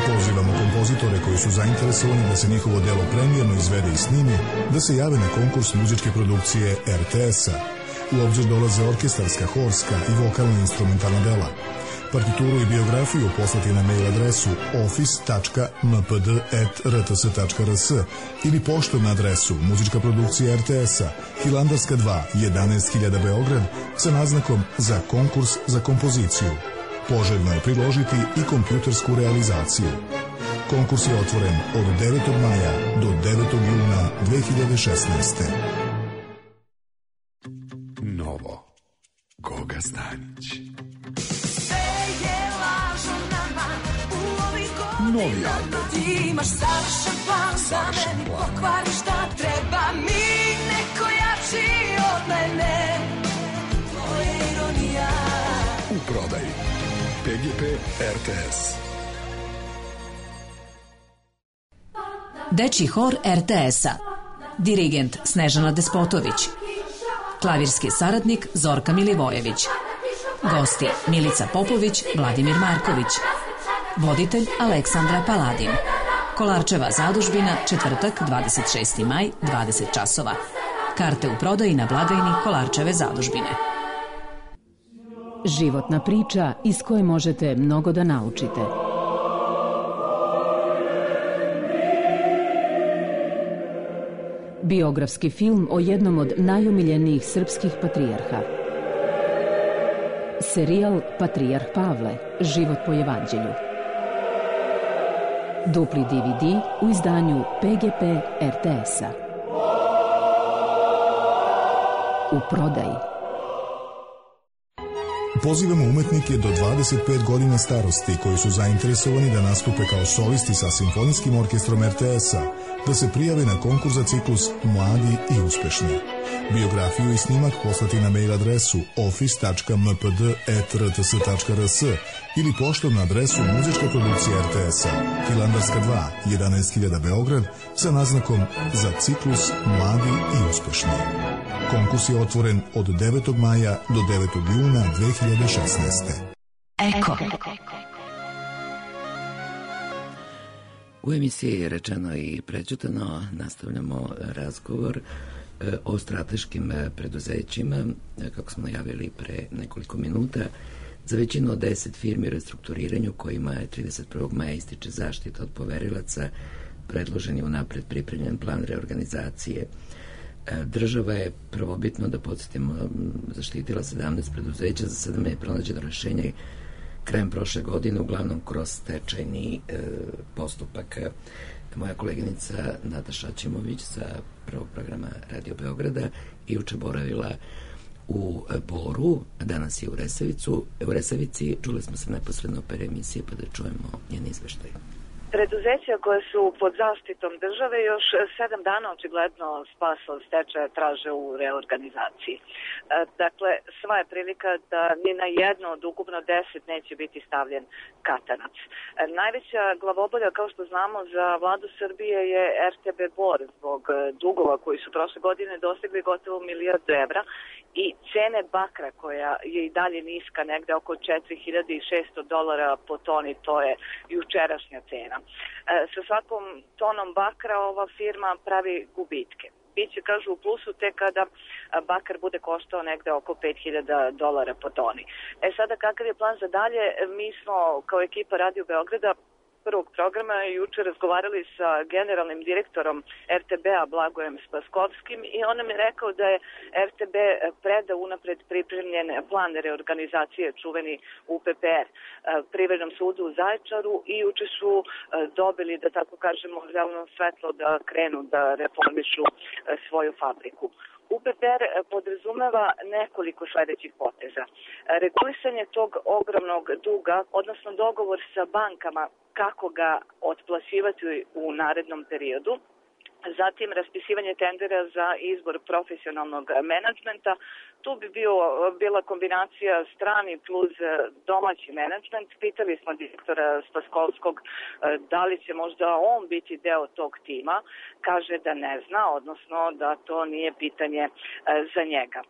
Pozivamo kompozitore koji su zainteresovani da se njihovo delo premijerno izvede i snimi, da se jave na konkurs muzičke produkcije er te es-a. U obzir dolaze orkestarska, horska i vokalno-instrumentalna dela. Partituru i biografiju poslati na mail adresu office tačka m p d at r t s tačka r s ili poštom na adresu muzička produkcija er te es-a, Hilandarska dva, jedanaest hiljada Beograd, sa naznakom za konkurs za kompoziciju. Poželjno je priložiti i kompjutersku realizaciju. Konkurs je otvoren od devetog maja do devetog juna dve hiljade šesnaeste. Novo. Goga Stanić. Novi album. Ti imaš savršen plan za meni, pokvari šta treba mi, neko jači od mene. To je ironija. U prodaji pe ge pe er te es. Dečji hor er te es-a. Dirigent Snežana Despotović. Klavirski saradnik Zorka Milivojević. Gosti Milica Popović, Vladimir Marković. Voditelj Aleksandra Paladin. Kolarčeva zadužbina, četvrtak, dvadeset šesti maj, dvadeset časova. Karte u prodaji na blagajni Kolarčeve zadužbine. Životna priča iz koje možete mnogo da naučite. Biografski film o jednom od najomiljenijih srpskih patrijarha. Serijal Patrijarh Pavle, život po evanđelju. Dupli de ve de u izdanju pe ge pe er te es-a. U prodaji. Pozivamo umetnike do dvadeset pet godina starosti koji su zainteresovani da nastupe kao solisti sa Simfonijskim orkestrom er te es-a, da se prijave na konkurs za ciklus Mladi i uspešni. Biografiju i snimak poslati na mail adresu office tačka m p d at r t s tačka r s ili poštom na adresu muzička produkcija er te es-a, Hilandarska dva, jedanaest hiljada Beograd, sa naznakom za ciklus Mladi i uspešni. Konkurs je otvoren od devetog maja do devetog juna dve hiljade šesnaeste. Eko. U emisiji je rečeno i prećutano, nastavljamo razgovor o strateškim preduzećima, kako smo najavili pre nekoliko minuta. Za većinu od deset firmi u restrukturiranju kojima je trideset prvog maja ističe zaštita od poverilaca, predložen je unapred pripremljen plan reorganizacije. Država je prvobitno, da podsjetimo, zaštitila sedamnaest preduzeća, za sada je pronađeno rešenje krajem prošle godine, uglavnom kroz stečajni e, postupak. Moja koleginica Nataša Ćimović sa prvog programa Radio Beograda i juče boravila u Boru, danas je u Resavicu. U Resavici čuli smo se neposredno per emisije, pa da čujemo njen izveštaj. Preduzeća koje su pod zaštitom države još sedam dana očigledno spasa od stečaja traže u reorganizaciji. Dakle, sva je prilika da ni na jedno od ukupno deset neće biti stavljen katanac. Najveća glavobolja, kao što znamo, za vladu Srbije je er te be Bor zbog dugova koji su prošle godine dostigli gotovo milijardu evra i cene bakra koja je i dalje niska, negde oko četiri hiljade šesto dolara po toni, to je jučerašnja cena. E, sa svakom tonom bakra ova firma pravi gubitke. Biće, kažu, u plusu tek kada bakar bude koštao negde oko pet hiljada dolara po toni. E sada, kakav je plan za dalje? Mi smo kao ekipa Radio Beograda prvog programa juče razgovarali sa generalnim direktorom er te be-a Blagojem Spaskovskim i on nam je rekao da je er te be predao unapred pripremljen plan reorganizacije, čuveni u pe pe er, Privrednom sudu u Zaječaru, i juče su dobili, da tako kažemo, zeleno svetlo da krenu da reformišu svoju fabriku. u pe pe er podrazumeva nekoliko sledećih poteza. Regulisanje tog ogromnog duga, odnosno dogovor sa bankama kako ga otplaćivati u narednom periodu, Zatim raspisivanje tendera za izbor profesionalnog menadžmenta. Tu bi bio, bila kombinacija strani plus domaći menadžment. Pitali smo direktora Spaskovskog da li će možda on biti deo tog tima. Kaže da ne zna, odnosno da to nije pitanje za njega.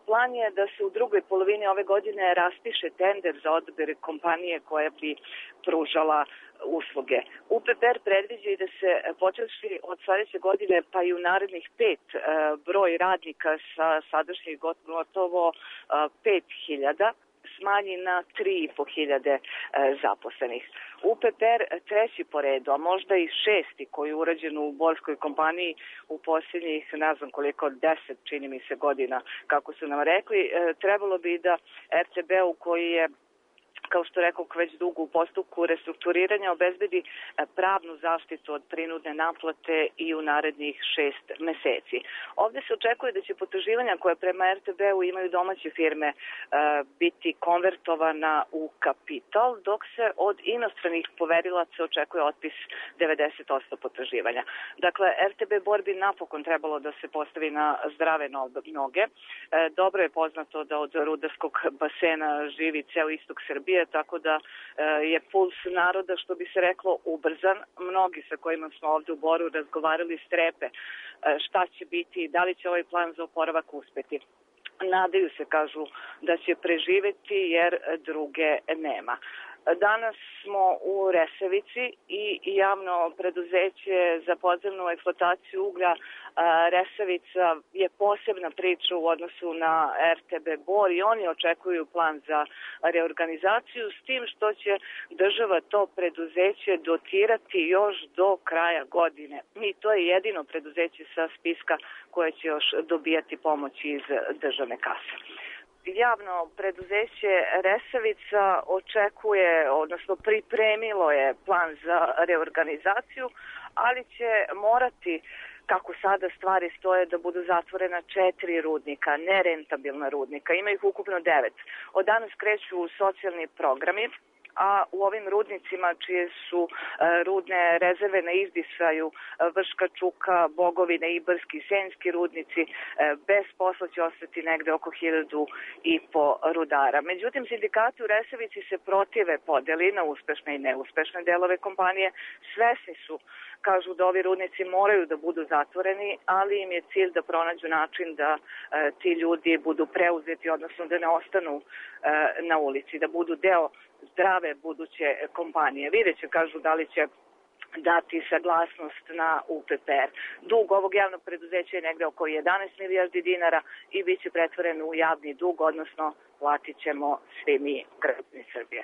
Plan je da se u drugoj polovini ove godine raspiše tender za odabir kompanije koja bi pružala usluge. U P P R predviđa i da se počeši od sledeće godine pa i u narednih pet broj radnika sa sadašnjih gotovo pet hiljada smanji na tri i po hiljade zaposlenih. U P P R treći po redu, a možda i šesti koji je urađen u Borskoj kompaniji u posljednjih, ne znam koliko, deset, čini mi se, godina, kako su nam rekli, trebalo bi da R T B-u koji je, kao što rekao, već dugo u postupku restrukturiranja, obezbedi pravnu zaštitu od prinudne naplate i u narednih šest meseci. Ovde se očekuje da će potraživanja koje prema R T B-u imaju domaće firme biti konvertovana u kapital, dok se od inostranih poverilaca očekuje otpis devedeset posto potraživanja. Dakle, R T B Bor bi napokon trebalo da se postavi na zdrave noge. Dobro je poznato da od rudarskog basena živi ceo istok Srbije, tako da je puls naroda, što bi se reklo, ubrzan. Mnogi sa kojima smo ovde u Boru razgovarali strepe šta će biti, da li će ovaj plan za oporavak uspeti. Nadaju se, kažu, da će preživeti jer druge nema. Danas smo u Resavici i javno preduzeće za podzemnu eksploataciju uglja Resavica je posebna priča u odnosu na R T B Bor i oni očekuju plan za reorganizaciju, s tim što će država to preduzeće dotirati još do kraja godine. I to je jedino preduzeće sa spiska koje će još dobijati pomoć iz državne kase. Javno preduzeće Resavica očekuje, odnosno pripremilo je plan za reorganizaciju, ali će morati, kako sada stvari stoje, da budu zatvorena četiri rudnika, nerentabilna rudnika. Ima ih ukupno devet. Od danas kreću socijalni programi, a u ovim rudnicima čije su rudne rezerve na izdisaju Vrška, Čuka, Bogovine, Ibarski i Senjski rudnici, bez posla će ostati negde oko hiljadu i po rudara. Međutim, sindikati u Resavici se protive podeli na uspešne i neuspešne delove kompanije. Svesni su, kažu, da ovi rudnici moraju da budu zatvoreni, ali im je cilj da pronađu način da e, ti ljudi budu preuzeti, odnosno da ne ostanu e, na ulici, da budu deo zdrave buduće kompanije. Vidjet će, kažu, da li će dati saglasnost na U P P R. Dug ovog javnog preduzeća je negde oko jedanaest milijardi dinara i bit će pretvoren u javni dug, odnosno platit ćemo svi mi građani Srbije.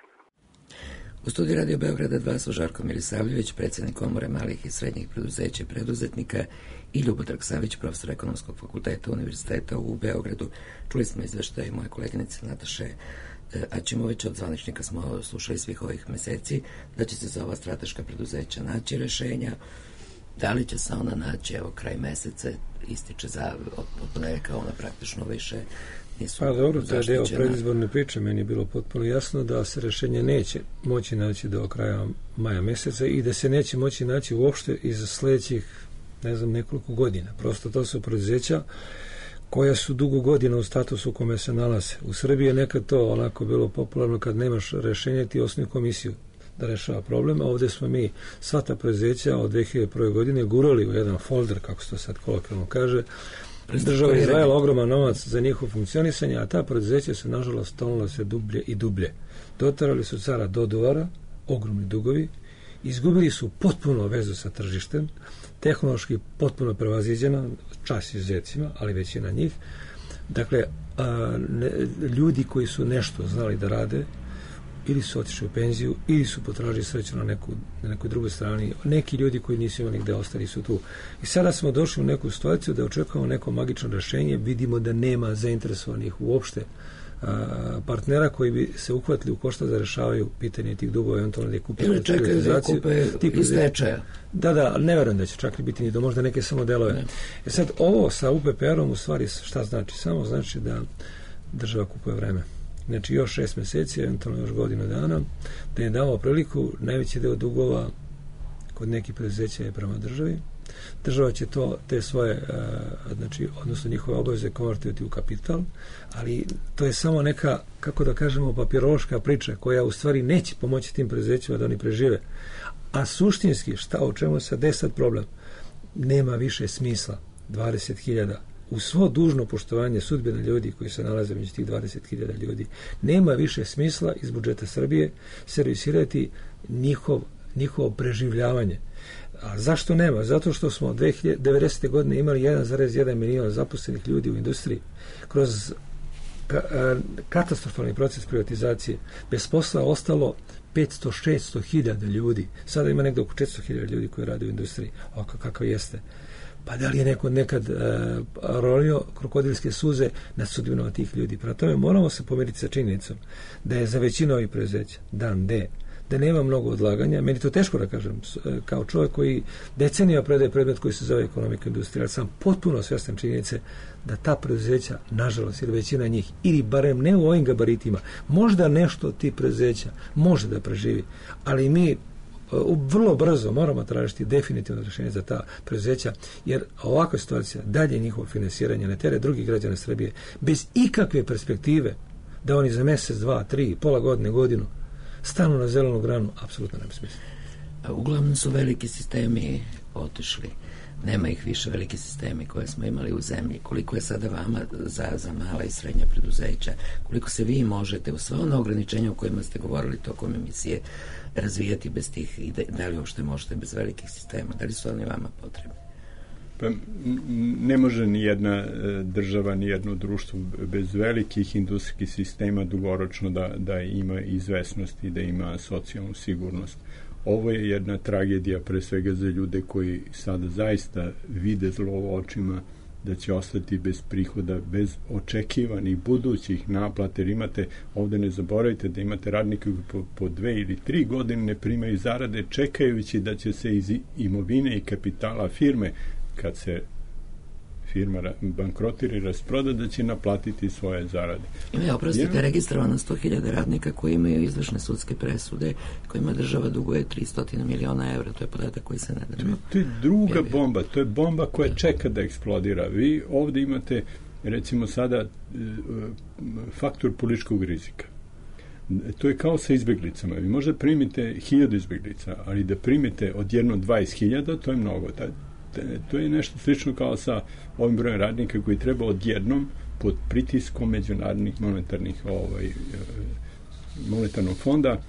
U studiju Radio Beograda dva su Žarko Milisavljević, predsjednik Komore malih i srednjih preduzeća i preduzetnika, i Ljubodrag Savić, profesor Ekonomskog fakulteta Univerziteta u Beogradu. Čuli smo izveštaj moje koleginice Nataše Aćimović, od zvaničnika smo slušali svih ovih meseci, da će se za ova strateška preduzeća naći rešenja. Da li će se ona naći, evo, kraj meseca ističe za od ponedjeljka, ona praktično više nisu pa dobro, to je deo zaštićena. predizborne priče. Meni je bilo potpuno jasno da se rešenje neće moći naći do kraja maja meseca i da se neće moći naći uopšte iz sledećih, ne znam, nekoliko godina. Prosto to su preduzeća koja su dugo godina u statusu u kome se nalaze. U Srbiji je nekad to onako bilo popularno, kad nemaš rešenje ti osnuj komisiju da rešava problem, a ovde smo mi sva ta preduzeća od dve hiljade prve. godine gurali u jedan folder, kako se to sad kolokvijalno kaže. Država je izdvajala ogroman novac za njihovo funkcionisanje, a ta preduzeća su nažalost tonula se dublje i dublje. Dotarali su cara do duvara, ogromni dugovi, izgubili su potpuno vezu sa tržištem, tehnološki potpuno prevaziđena, čas izuzetcima, ali većina njih. Dakle, a, ne, ljudi koji su nešto znali da rade, ili su otišli u penziju, ili su potražili sreću na, neku, na nekoj drugoj strani. Neki ljudi koji nisu imali gde ostali su tu. I sada smo došli u neku situaciju da očekujemo neko magično rešenje, vidimo da nema zainteresovanih uopšte a, partnera koji bi se uhvatili u koštac da rešavaju pitanje tih dugova, eventualno da je kupili ili čekaju da kupe iz stečaja. Da, da, ali ne verujem da će čak biti ni do možda neke samo delove. Ne. E sad, ovo sa U P P R-om u stvari šta znači? Samo znači da država kupuje vreme. Znači još šest meseci, eventualno još godinu dana, da je dao priliku. Najveći deo dugova kod nekih preduzeća je prema državi, država će to, te svoje, znači, odnosno njihove obaveze konvertirati u kapital, ali to je samo neka, kako da kažemo, papirološka priča koja u stvari neće pomoći tim preduzećima da oni prežive. A suštinski, šta, o čemu se desat problem? Nema više smisla dvadeset hiljada u svo dužno poštovanje sudbine ljudi koji se nalaze među tih dvadeset hiljada ljudi. Nema više smisla iz budžeta Srbije servisirati njihov, njihovo preživljavanje. A zašto nema? Zato što smo devedesete godine imali jedan zarez jedan milion zaposlenih ljudi u industriji. Kroz ka, a, katastrofalni proces privatizacije bez posla ostalo petsto do šesto hiljada ljudi. Sada ima nekdo oko četiristo hiljada ljudi koji rade u industriji. Oko kakav jeste. Pa da li je neko nekad uh, rolio krokodilske suze nad sudbinom tih ljudi? Prema tome moramo se pomiriti sa činjenicom da je za većinu ovih preduzeća dan D, da nema mnogo odlaganja. Meni to teško da kažem, kao čovjek koji decenija predaje predmet koji se zove ekonomika industrija, ali sam potpuno svjestan činjenice da ta preduzeća, nažalost, ili većina njih, ili barem ne u ovim gabaritima, možda nešto od tih preduzeća može da preživi, ali mi vrlo brzo moramo tražiti definitivno rješenje za ta preduzeća, jer ovakva situacija, dalje njihovo finansiranje na teret drugih građana Srbije, bez ikakve perspektive da oni za mjesec, dva, tri, pola godine, godinu stanu na zelenu granu, apsolutno nema smisla. Uglavnom su veliki sistemi otišli. Nema ih više, veliki sistemi koje smo imali u zemlji. Koliko je sada vama za, za mala i srednja preduzeća? Koliko se vi možete u sva ona ograničenja o kojima ste govorili tokom emisije razvijati bez tih i da li uopšte možete bez velikih sistema? Da li su oni vama potrebni? Pa ne može ni jedna država, ni jedno društvo bez velikih industrijskih sistema dugoročno da, da ima izvesnost i da ima socijalnu sigurnost. Ovo je jedna tragedija pre svega za ljude koji sada zaista vide zlo očima da će ostati bez prihoda, bez očekivanih budućih naplata, jer imate, ovde ne zaboravite da imate radnike koji po, po dve ili tri godine ne primaju zarade, čekajući da će se iz imovine i kapitala firme, kad se firma bankrotira i rasproda, da će naplatiti svoje zarade. Ima, oprostite, ja, registrovano sto hiljada radnika koji imaju izvršne sudske presude, kojima država duguje tristo miliona evra. To je podatak koji se nedavno. To je druga bomba, to je bomba koja čeka da eksplodira. Vi ovde imate, recimo sada, faktor političkog rizika. To je kao sa izbjeglicama. Vi možda primite hiljadu izbjeglica, ali da primite odjedno dvadeset hiljada, to je mnogo. To je nešto slično kao sa ovim brojem radnika koji treba odjednom pod pritiskom međunarodnih monetarnih ovaj, monetarnog fonda,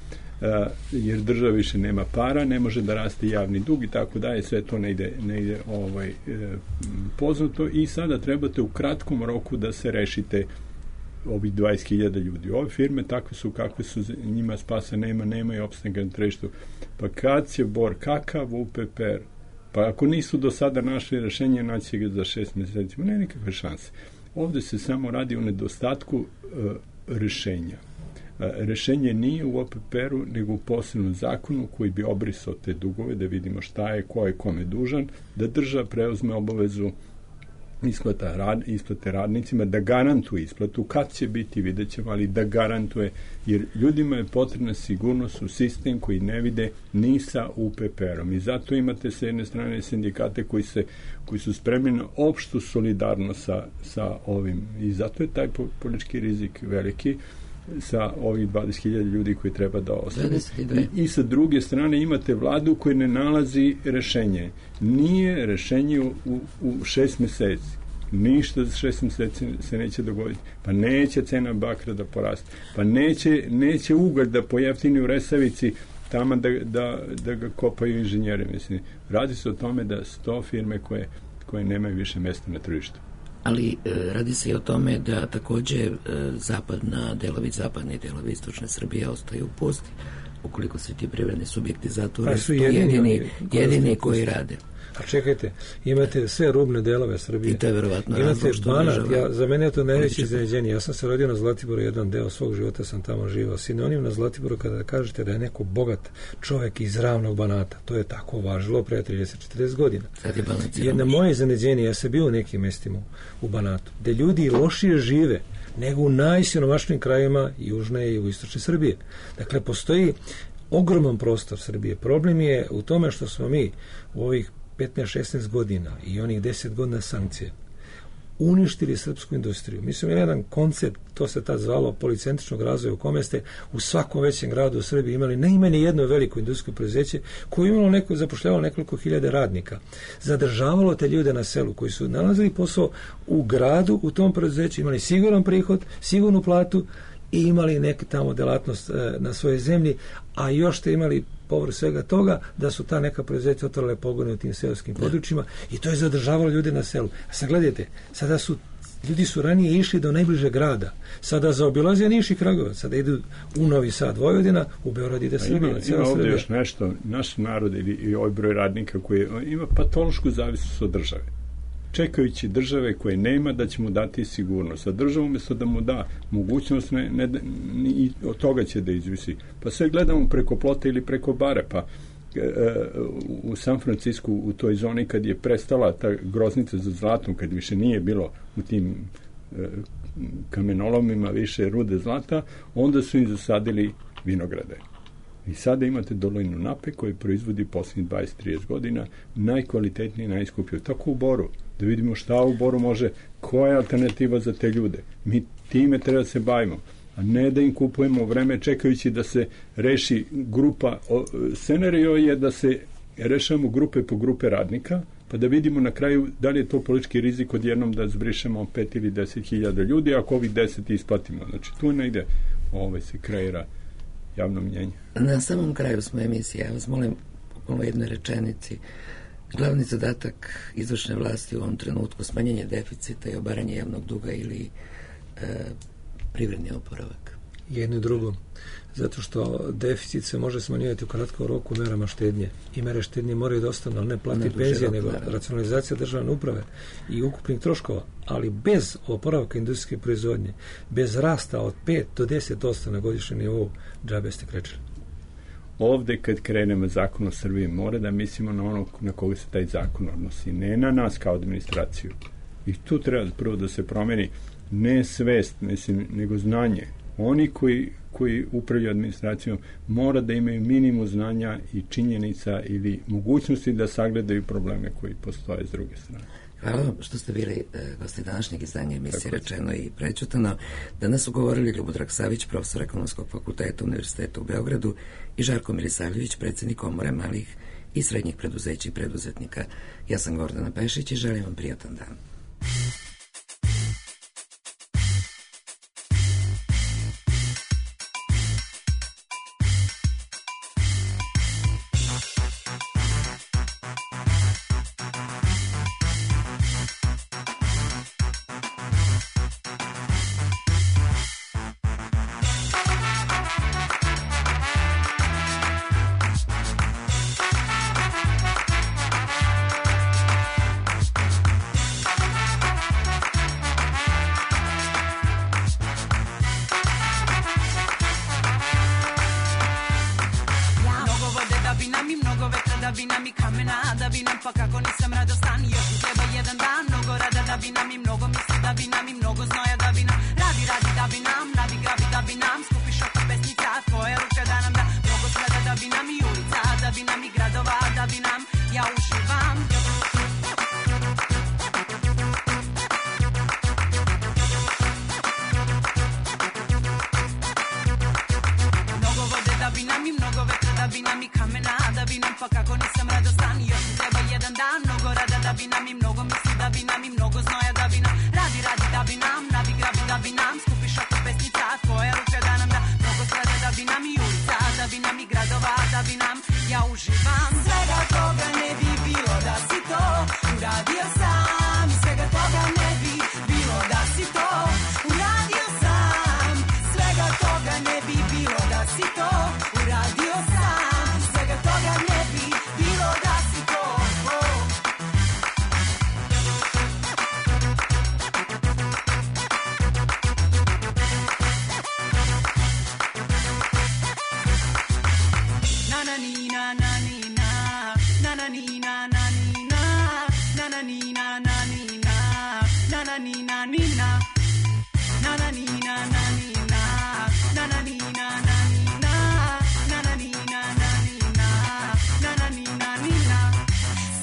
jer država više nema para, ne može da raste javni dug i tako daje, sve to ne ide, ne ide ovaj, poznato i sada trebate u kratkom roku da se rešite ovih dvadeset hiljada ljudi. Ove firme takve su kakve su, njima spasa nema, nema i opstanka na tržištu. Pa kad će Bor, kakav U P P R? Pa ako nisu do sada našli rešenje, naći ga za šest mjeseci. Ne, nikakve šanse. Ovde se samo radi o nedostatku uh, rešenja. Uh, rešenje nije u O P P R-u, nego u posebnom zakonu koji bi obrisao te dugove, da vidimo šta je, ko je kome dužan, da država preuzme obavezu isplata rad, isplate radnicima, da garantuje isplatu, kad će biti, vidjet ćemo, ali da garantuje, jer ljudima je potrebna sigurnost u sistem koji ne vide ni sa U P P R-om. I zato imate sa jedne strane sindikate koji, se, koji su spremni na opštu solidarnost sa, sa ovim. I zato je taj politički rizik veliki sa ovih dvadeset hiljada ljudi koji treba da ostane. I, I sa druge strane imate vladu koja ne nalazi rešenje. Nije rešenje u, u, u šest meseci. Ništa za šest meseci se neće dogoditi. Pa neće cena bakra da poraste. Pa neće, neće ugalj da pojeftini u Resavici tamo da, da, da ga kopaju inženjeri. Mislim, radi se o tome da sto firme koje, koje nemaju više mesta na tržištu. Ali e, radi se i o tome da takođe e, zapadna delovi, zapadni delovi istočne Srbije ostaju u pusti. Ukoliko se ti privredni subjekti zatvore, pa su jedini, jedini, koji, jedini koji rade. A čekajte, imate sve rubne delove Srbije. I to je verovatno imate Banat, ja, za mene je to najveće iznenađenje. Ja sam se rodio na Zlatiboru, jedan deo svog života sam tamo živao. Sinonim na Zlatiboru kada kažete da je neko bogat čovjek iz ravnog Banata. To je tako važilo pre trideset do četrdeset godina. Jedna moje iznenađenje, ja sam bio u nekim mestima u Banatu, gde ljudi lošije žive nego u najsiromašnijim krajima južne i jugoistočne Srbije. Dakle, postoji ogroman prostor Srbije. Problem je u tome što smo mi u ovih petnaest šesnaest godina i onih deset godina sankcije uništili srpsku industriju. Mi smo imali jedan koncept, to se tad zvalo policentričnog razvoja, u kome ste u svakom većem gradu u Srbiji imali najmanje jedno veliko industrijsko preduzeće koje imalo neko, zapošljavalo nekoliko hiljade radnika. Zadržavalo te ljude na selu koji su nalazili posao u gradu, u tom preduzeću, imali siguran prihod, sigurnu platu i imali neku tamo delatnost e, na svojoj zemlji, a još ste imali povrh svega toga da su ta neka preduzeća otvorile pogone u tim seoskim područjima i to je zadržavalo ljude na selu. A sad gledajte, sada su ljudi su ranije išli do najbližeg grada, sada zaobilaze Niš i Kragujevac, sada idu u Novi Sad, Vojvodina, u Beograd ide Srbija. Ima, ima ovdje još nešto, naš narod ili i ovaj broj radnika koji ima patološku zavisnost od države, čekajući države koje nema da će mu dati sigurnost, a država umjesto da mu da mogućnost, ne, ne, ni od toga će da izvisi. Pa sve gledamo preko plota ili preko bare, pa e, u San Francisku, u toj zoni kad je prestala ta groznica za zlatom, kad više nije bilo u tim e, kamenolomima više rude zlata, onda su im zasadili vinograde. I sada imate dolinu Nape koji proizvodi posljednjih dvadeset trideset godina najkvalitetniji i najskuplji. Tako u Boru. Da vidimo šta u Boru može, koja je alternativa za te ljude. Mi time treba da se bavimo, a ne da im kupujemo vreme čekajući da se reši grupa. Scenario je da se rešamo grupe po grupe radnika, pa da vidimo na kraju da li je to politički rizik odjednom da zbrišemo pet ili deset hiljada ljudi, ako ovih deset isplatimo. Znači tu negde ovaj se kreira javno mnjenje. Na samom kraju smo emisije, ja vas molim u jednoj rečenici, glavni zadatak izvršne vlasti u ovom trenutku smanjenje deficita i obaranje javnog duga ili e, privredni oporavak? Jedno i drugo. Zato što deficit se može smanjivati u kratkom roku merama štednje. I mere štednje moraju da ostanu, ali ne plati penzije, nego racionalizacija državne uprave i ukupnih troškova. Ali bez oporavka industrijske proizvodnje, bez rasta od pet do deset posto na godišnjem nivou, džabe ste krečili. Ovde kad krenemo zakon o Srbiji mora da mislimo na ono na koga se taj zakon odnosi, ne na nas kao administraciju. I tu treba prvo da se promeni ne svest, mislim, nego znanje. Oni koji, koji upravljaju administracijom mora da imaju minimum znanja i činjenica ili mogućnosti da sagledaju probleme koji postoje s druge strane. Hvala vam što ste bili e, gosti današnjeg izdanja emisije Rečeno i prečutano. Danas su govorili Ljubodrag Savić, profesor Ekonomskog fakulteta Univerziteta u Beogradu, i Žarko Milisavljević, predsjednik Komore malih i srednjih preduzeća i preduzetnika. Ja sam Gordana Pešić i želim vam prijatan dan.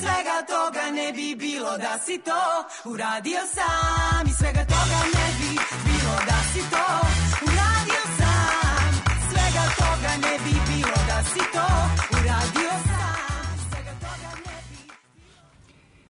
Svega to da si to uradio sam i svega toga ne bi bilo da si to uradio sam, svega toga ne bi bilo da si to uradio